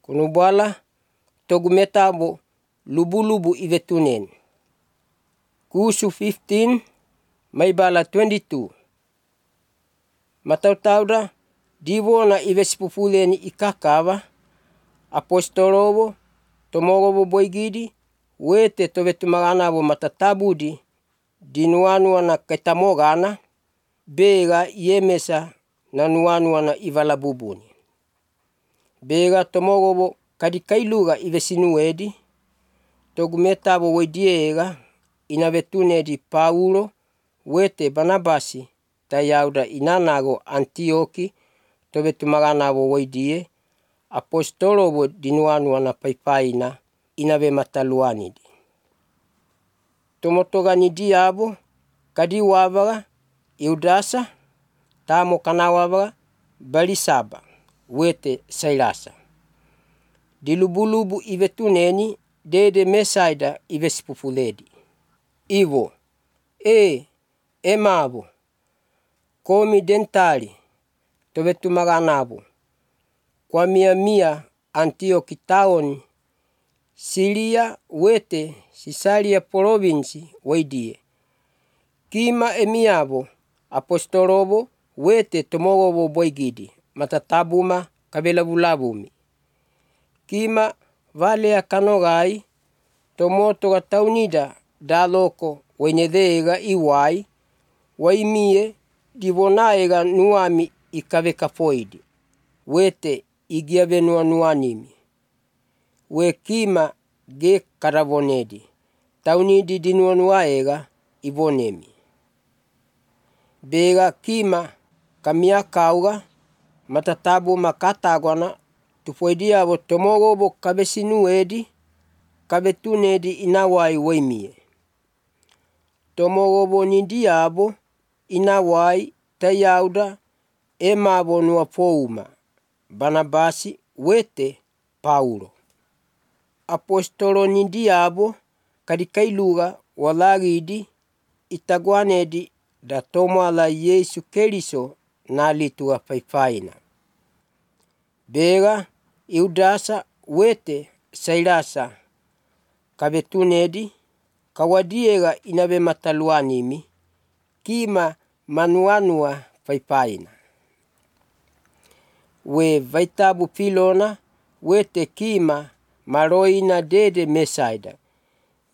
Kunubala togu metabo lubu-lubu ivetunen. Kusu 15 maibala 22. Matautauda divona ivesipufuleni ikakava apostolovo tomorovo boigidi wete tovetumaganavo matatabudi dinuanuana ketamogana bega yemesa na nuanuana ivalabubuni. Bega tomorovo kadikailuga ivesinuedi togu metabo wediega inavetunedi Paulo wete Barnabasi tayauda inanago Antioki tovetumaganavo wedie apostolovo dinuanuana paipaina inave mataluanidi. Tomotogani diabo kadiwavaga Iudasa tamo kanawavaga Balisaba wete Sailasa. Dilubu-lubu ivetuneni dede mesaida ivesipufuledi. Ivo emavo komi dentali tovetumaganavo kwa mia Antioki taoni Siria wete Sisaria provinsi weidie. Kima emiavo apostolovo wete tomorovo boigidi matatabuma kabelavulabumi. Kima valea kanogai tomotoga taunida daloko wenedega iwai waimie divonaega nuami ikavekafoidi wete igiavenua nuanimi. We kima ge karavonedi taunidi dinuanuaega ivonemi. Bega kima kamiakauga matatabu makatagwana tufoidiavo tomorovo kavesinuedi kavetunedi inawai weimie. Tomorovo nidiabo inawai tayauda emavo nuafouma Barnabasi wete Paulo. Apostolo nidiabo kadikailuga walagidi itagwanedi da tomala Yesu Keriso nalitua paipaina. Bega Iudasa wete Sailasa kavetunedi kawadiega inave mataluanimi kima manuanua paipaina. We vaitabu Pilona wete kima maroina dede mesaida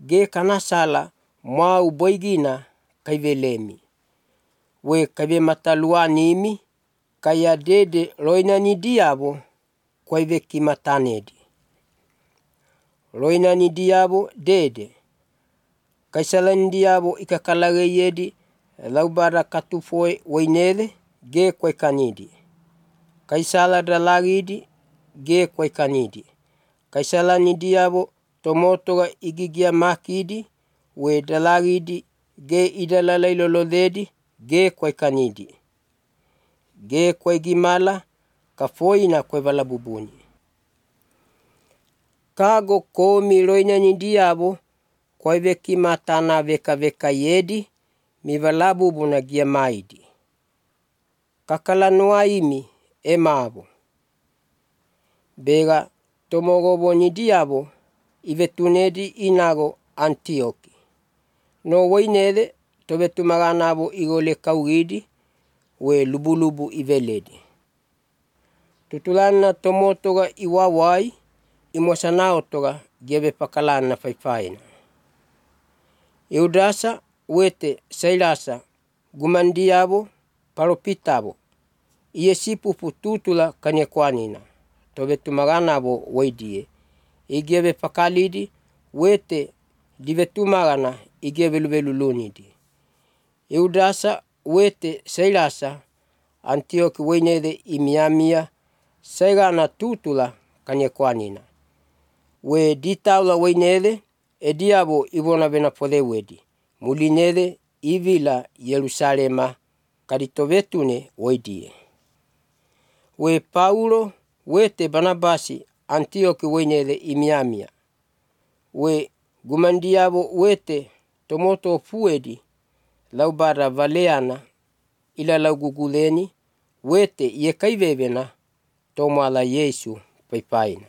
ge kanasala mau boigina kaivelemi. We kaive mataluanimi kaya dede roina nidiabo kwaive kimatanedi. Roina nidiabo dede kaisala nidiabo ikakalageyedi laubara katufoe weinele ge kwaikanidi. Kaisala dalagidi ge kwaikanidi. Kaisala nidiabo tomotoga igigia makidi we dalagidi ge idalalailolodedi ge kwaikanidi. Ge kwaigimala kafoina kwaivalabubuni. Kago komi roina nidiabo kwaive kimatana veka yedi mivalabubuna gia maidi. Kakalanuaimi emavo. Bega tomorovo nidiabo ivetunedi inago Antioki. No weinele tovetumaganavo igole kaugidi we lubu-lubu iveledi. Tutulana tomotoga iwawai imosanautoga giave pakalana paipaina. Iudasa wete Sailasa gumandiavo paropitavo iesipupu tutula kanyekwanina tovetumaganavo weidie. Igiave pakalidi wete divetumagana igiave luvelulunidi. Iudasa wete Sailasa Antioki weinele imiamia saigana tutula kanyekwanina. We ditaula weinele ediavo ivona venapolewedi. Mulinele ivila Yerusalema kaditovetune weidie. We Paulo wete Barnabasi Antioki weinele imiamia. We gumandiavo wete tomoto fuedi laubara valeana ila lauguguleni wete yekaivevena tomala Yesu paipaina.